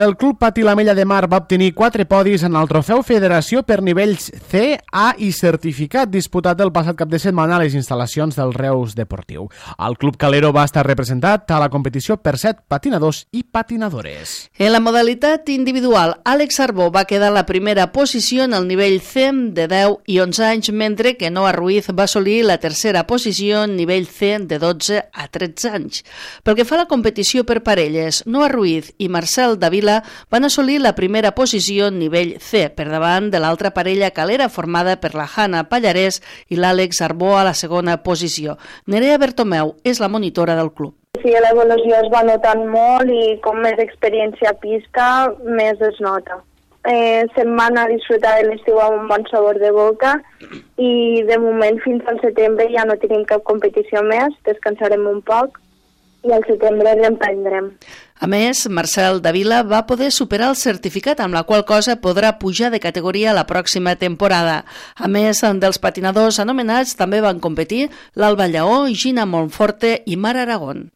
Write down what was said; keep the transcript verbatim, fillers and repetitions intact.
El Club Patí l'Ametlla de Mar va obtenir quatre podis en el Trofeu Federació per nivells C, A i certificat disputat el passat cap de setmana a les instal·lacions del Reus Deportiu. El Club Calero va estar representat a la competició per set patinadors i patinadores. En la modalitat individual, Àlex Arbó va quedar a la primera posició en el nivell C de deu i onze anys, mentre que Noa Ruiz va assolir la tercera posició en nivell C de dotze a tretze anys. Pel que fa a la competició per parelles, Noa Ruiz i Marcel Davila van assolir la primera posició en nivell C, per davant de l'altra parella calera formada per la Hanna Pallarès i l'Àlex Arbó a la segona posició. Nerea Bertomeu és la monitora del club. Sí, l'evolució es va notant molt i com més experiència a pista, més es nota. Eh, se'n van a disfrutar de l'estiu amb un bon sabor de boca i de moment fins al setembre ja no tenim cap competició més, descansarem un poc i al setembre reemprendrem. A més, Marcel Davila va poder superar el certificat, amb la qual cosa podrà pujar de categoria la pròxima temporada. A més dels patinadors anomenats, també van competir l'Alba Lleó, Gina Monforte i Mar Aragón.